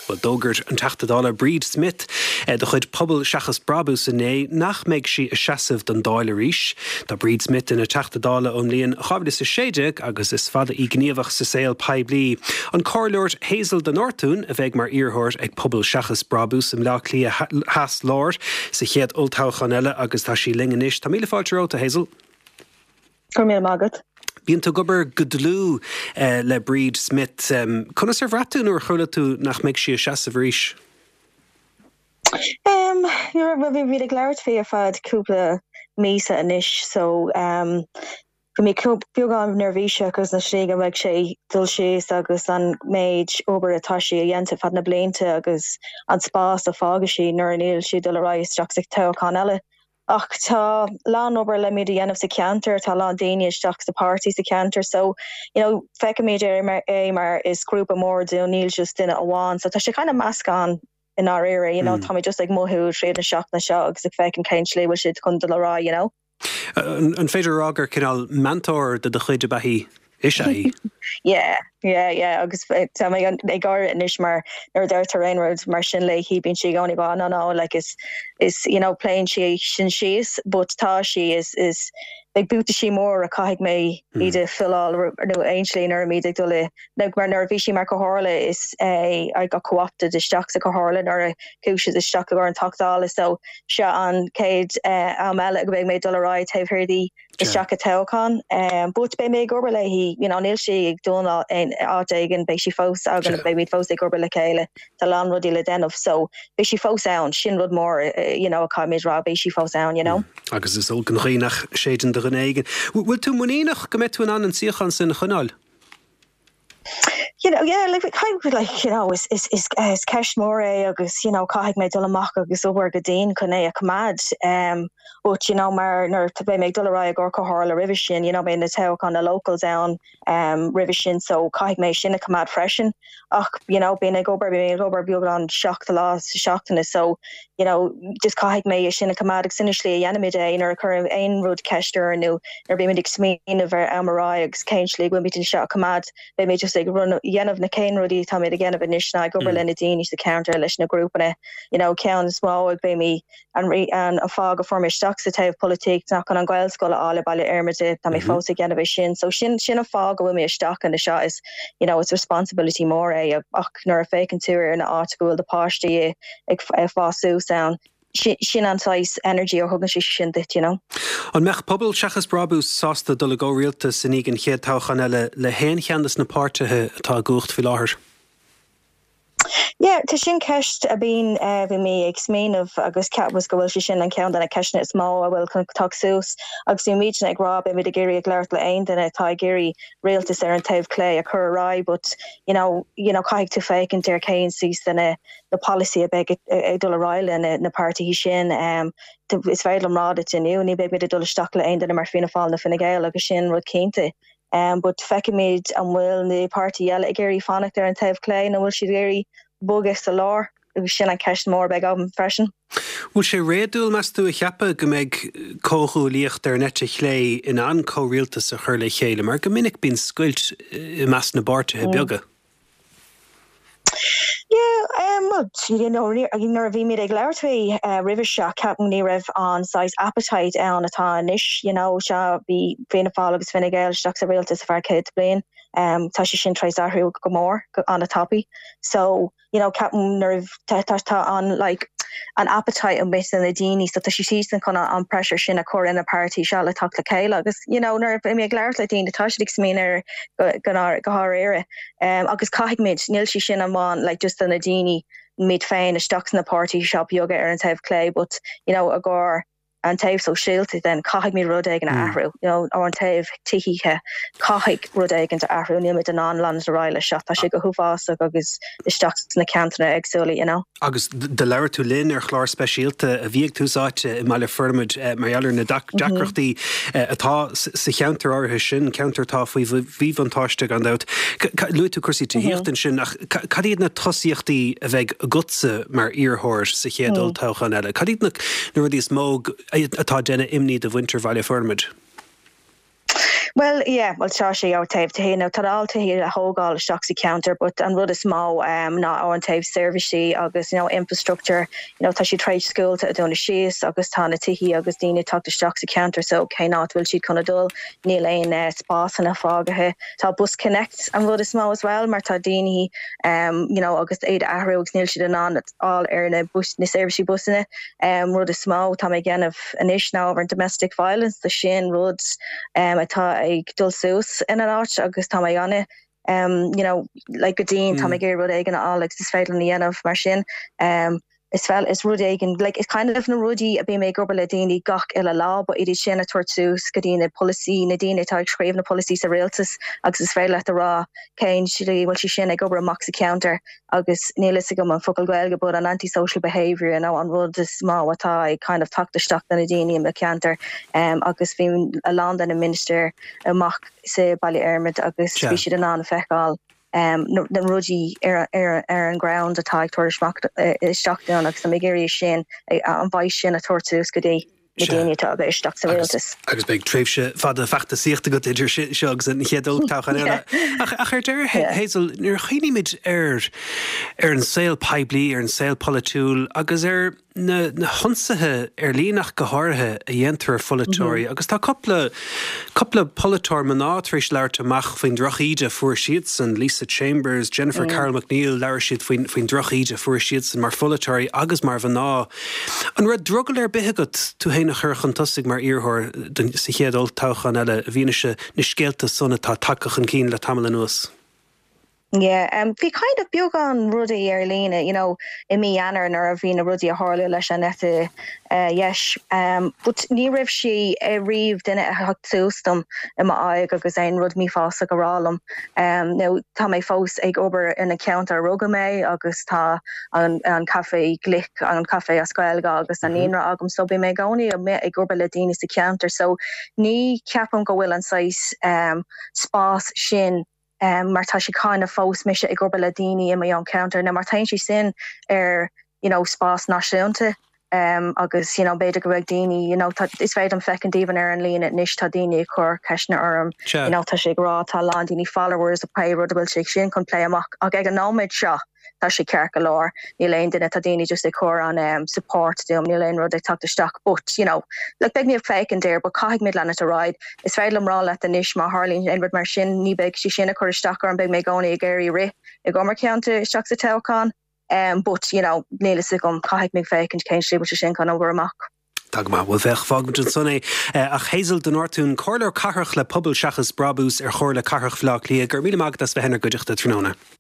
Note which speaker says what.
Speaker 1: Bhuel, d'fhógair an Teachta Dála Bríd Smith de chuid Pobal Seachas Brabús inné nach mbeidh sí ag seasamh don Dáil arís. Tá Bríd Smith ina Teachta Dála ón mbliain 2016 agus is fada í gníomhach sa saol poiblí. An Comhairleoir Hazel de Nortúin a bheidh mar iarrthóir ag Pobal Seachas Brabús i mBleá Cliath Theas Láir sa chéad olltoghchán eile agus tá sí linn anois. Tá míle fáilte romhat, a Hazel.
Speaker 2: Go raibh míle maith agat.
Speaker 1: Bíonn tú ag obair go dlúth le Bríd Smith. Conas ar bhraith tú nuair a chuala tú nach mbeidh sí ag seasamh arís?
Speaker 2: Em, bhuel bhí muid ag labhairt faoi ar feadh cúpla míosa anois so bhí mé beagán neirbhíseach agus na slí go mbeidh sé dul síos agus an méid obair atá sí a dhéanta ar feadh na blianta agus an spás a fágfaidh sí nuair a níl sí dul ar aghaidh isteach sa toghchán eile. Ach tá lán obair le muid a dhéanamh sa cheantar, tá lán daoine isteach sa páirtí sa cheantar so you know feicimid é mar is grúpa mór dúinn, níl just duine amháin so tá sé kind of meascán i ndáiríre you know tá mé just ag mothú tríd na seachtaine seo agus ag féachaint cén slí bhfuil siad chun dul ar aghaidh you know.
Speaker 1: An féidir a rá gur cineál meantóir de do chuid ab ea í? Is ea í.
Speaker 2: Yeah, yeah, yeah agus tá mé ag gáire anois mar nuair a deirtear aon rud mar sin léi bíonn sí i gcónaí ag rá no no like is is you know pléann sí sin síos but tá sí is is beidh buataisí mór a caithfidh mé iad a filleáil nó aon slí nuair a muid ag dul i nó mar nuair a bhí sí mar comhairle is é I got co-opted isteach sa comhairle nuair a chuaigh siad isteach i gcomhair an Teach Dála so seo an chéad am eile go mbeidh mé ag dul ar aghaidh taobh thiar di. isteach i toghchán. But beidh mé ag obair léi, you know, níl sí ag dul aon áit éigin, beidh sí fós againn, beidh muid fós ag obair le chéile, tá a lán rudaí le déanamh so beidh sí fós ann, sin rud mór, you know, a caithfimid rá, beidh sí fós ann, you know.
Speaker 1: Agus is olc an ghaoth nach séideann do dhuine éigin. Bhfuil tú muiníneach go mbeidh tú in ann an suíochán sin a choinneáil?
Speaker 2: You know, yeah, like, kind of like, you know, is, is, is, is ceist mór é agus, you know, caithfidh mé dul amach agus obair go dian chun é a choimeád. Um, but, you know, mar nuair beidh mé ag dul ar aghaidh i gcomhair comhairle roimhe sin, you know, beidh na toghcháin na locals ann um, roimhe sin, so caithfidh mé sin a choimeád freisin. Ach, you know, bím ag obair, bím ag obair beagnach 7 lá sa seachtaine, so, you know, just caithfidh mé é sin a choimeád agus sin an slí a dhéanaimid é nuair a chuireann aon rud ceist orainn nó nuair a bímid ag smaoineamh ar am ar aghaidh agus cén slí go bhfuilimid anseo a choimeád, beimid just ag dhéanamh na cén rudaí atáimid ag dhéanamh anois ná ag obair le na daoine sa cheantar, leis na grúpanna, you know, ceann is mó ag beimid an an fáth go fuair mé isteach sa taobh polaitíocht ná chun an Ghaelscoil a fháil i Baile Fhormaide, tá mé fós ag dhéanamh é sin, so sin sin an fáth go bhfuil mé isteach ina seo is, you know, it's responsibility mór é ach nuair a féachann tú ar na áit go bhfuil do páistí i ag fás suas ann. Sin an saghas energy a thugann sé sin duit, you know.
Speaker 1: An mbeadh Pobal Seachas Brabús sásta dul i gcomhrialtas i ndiaidh an chéad toghchán eile le haon cheann de na páirtithe atá i gcumhacht faoi láthair?
Speaker 2: Yeah, tá sin ceist a bíonn, bhí mé ag smaoineamh agus ceapaim go bhfuil sé sin an ceann de na ceisteanna is mó a bhfuil chun teacht suas agus bhí muidne ag rá beimid ag iarraidh ag labhairt le aon duine atá ag iarraidh rialtas ar an taobh clé a chur ar aghaidh but you know, you know caithfidh tú féachaint ar cén saghas de na na polasaí a bheidh ag dul ar aghaidh le na páirtithe sin. Is féidir liom rá duit inniu, ní bheidh muid ag dul isteach le aon duine mar Fianna Fáil nó Fine Gael agus sin rud cinnte. But feicfimid an bhfuil na páirtithe eile ag iarraidh fanacht ar an taobh clé nó bhfuil siad ag iarraidh bogadh sa lár agus sin an ceist mór a bheidh agam freisin.
Speaker 1: Bhfuil sé réadúil, meas tú, a cheapadh go mbeidh comhghuaillíocht ar an eite chlé in ann comhrialtas a chur le chéile, mar go minic bíonn scoilt i measc na bpáirtithe beaga?
Speaker 2: Yeah, well, you know, nuair a bhí muid ag labhairt faoi roimhe seo, ceapaim ní raibh an saghas appetite ann atá anois, you know, seo bhí Fianna Fáil agus Fine Gael isteach sa rialtas ar feadh 100 bliain, tá sé sin tar éis athrú go mór, go an-tapaidh. So, you know, ceapaim nuair a tá tá an like an appetite amuigh sna na daoine so tá siadsan chun an pressure sin a chur ar na páirtí seo le teacht le chéile agus you know nuair a bhí mé ag labhairt le daoine tá siad ag smaoineamh air go go háirithe agus caithfidh muid níl sé sin amháin like just do na daoine muid féin isteach sna páirtí seo beaga ar an taobh clé but you know i gcomhair an taobh sóisialta then caithfidh muid rud éigin a athrú, you know, ar an taobh tithíochta caithfidh rud éigin a athrú, níl muid in ann leanúint ar aghaidh leis seo, tá sé go huafásach agus isteach sna ceantair éagsúla, you know.
Speaker 1: Agus do labhair tú linn ar chlár speisialta a bhí ag Tús Áite i mBaile Formaid mar gheall ar na deacrachtaí atá sa cheantar áirithe sin, ceantar atá faoi mhíbhuntáiste gan dabht. Luaigh tú cúrsaí tithíochta ansin ach cad iad na tosaíochtaí a bheidh agatsa mar iarrthóir sa chéad olltoghchán eile? Cad iad na rudaí is mó atá ag déanamh imní do mhuintir Bhaile Formaid?
Speaker 2: Bhuel, yeah, bhuel tá sé ó taobh tithí, nó tá a lán tithí le thógáil isteach sa cheantar but an rud is mó ná ó an taobh seirbhísí agus you know infrastructure, you know tá siad tar éis scoilte a dúnadh síos agus tá na tithí agus daoine ag teacht isteach sa cheantar so cén áit bhfuil siad chun a dul, níl aon spásanna fágaithe. Tá Bus Connect an rud is mó as well mar tá daoine you know agus iad a athrú agus níl siad in ann fháil ar na bus, na seirbhísí busanna. Rud is mó atá mé ag déanamh anois ná ábhar domestic violence, tá sin rud atá ag dul suas in an áit agus tá mé ana you know like go dian, tá mé ag iarraidh rud éigin a fháil agus is féidir liom a dhéanamh mar sin. Is fel, is rud éigin, like it's kind of na rudaí a bím ag obair le daoine gach uile lá, but iad sin a tabhairt suas go dtí na polasaí, na daoine atá ag scríobh na polasaí sa rialtas agus is féidir leat a rá cén slí bhfuil sé sin ag obair amach sa cheantar. agus níl fhios agam an focal Gaeilge but an anti-social behaviour you know an rud is mó atá ag kind of teacht isteach do na daoine i mo cheantar agus bhí a lán de na ministir amach sa Baile Fheirmid agus bhí siad in ann a feiceáil na rudaí ar ar ar an ground atá ag tabhairt isteach dúinn agus tá mé ag iarraidh sin an voice sin a tabhairt suas go dtí na daoine atá ag éisteacht sa rialtas.
Speaker 1: Agus beidh tréimhse fada feachtasaíochta agat idir seo agus an chéad olltoghchán eile. Ach ar deireadh, Hazel, nuair a chuimhnímid ar ar an saol poiblí, ar an saol polaitiúil agus ar na na hionsaithe ar líne ach go háirithe a dhéantar ar pholaiteoirí, agus tá cúpla cúpla polaiteoir mná tar éis labhairt amach faoin drochíde a fuair siadsan, Lisa Chambers, Jennifer Carroll MacNeill, labhair siad faoin faoin drochíde a fuair siadsan mar pholaiteoirí agus mar mhná. An raibh drogall ar bith agat tú féin a chur chun tosaigh mar iarrthóir sa chéad olltoghchán eile i bhfianaise na scéalta san atá tagtha chun cinn le tamall anuas?
Speaker 2: Yeah, bhí kind of beagán rudaí ar líne, you know, i mí Eanáir nuair a bhí na rudaí a tharla leis an eite dheis, but ní raibh sé riamh duine a theacht suas dom i m'aghaidh agus aon rud mífhásach a rá liom. Now tá mé fós ag obair ina ceantar a rugadh mé agus tá an an caife glic, an caife as Gaeilge agus an naíonra agam so bím i gcónaí ag obair le daoine sa cheantar so ní cheapaim go bhfuil an saghas spás sin mar tá sé kind of fós mise ag obair le daoine i mo own ceantar now má téann sé sin ar you know spás náisiúnta agus you know b'fhéidir go mbeidh daoine you know tá is féidir liom feicint even ar an líne anois tá daoine ag cur ceisteanna orm you know tá sé ag rá tá a lán daoine followers ag plé rud a bhfuil sé sin chun plé amach ach ag an nóiméad seo tá sé ceart go leor níl aon duine tá daoine just ag cur an um, support dom níl aon rud ag teacht isteach but you know like beidh mé ag féachaint air but caithfidh muid leanúint ar aghaidh is féidir liom rá leat anois má tharlaíonn aon rud mar sin ní beidh sé sin ag cur isteach orm beidh mé i gcónaí ag iarraidh rith i gcomhair mo cheantar isteach sa toghchán But, you know, níl fhios agam, caithfidh mé féachaint cén slí bhfuil sé sin chun obair amach.
Speaker 1: Tá go maith. Bhuel, féach, fágfaimid ansan é. Ach Hazel de Nortúin, Comhairleoir Cathrach le Pobal Seachas Brabús ar Chomhairle Cathrach Bhaile Átha Cliath, go raibh míle maith agat as bheith inár gcuideachta tráthnóna.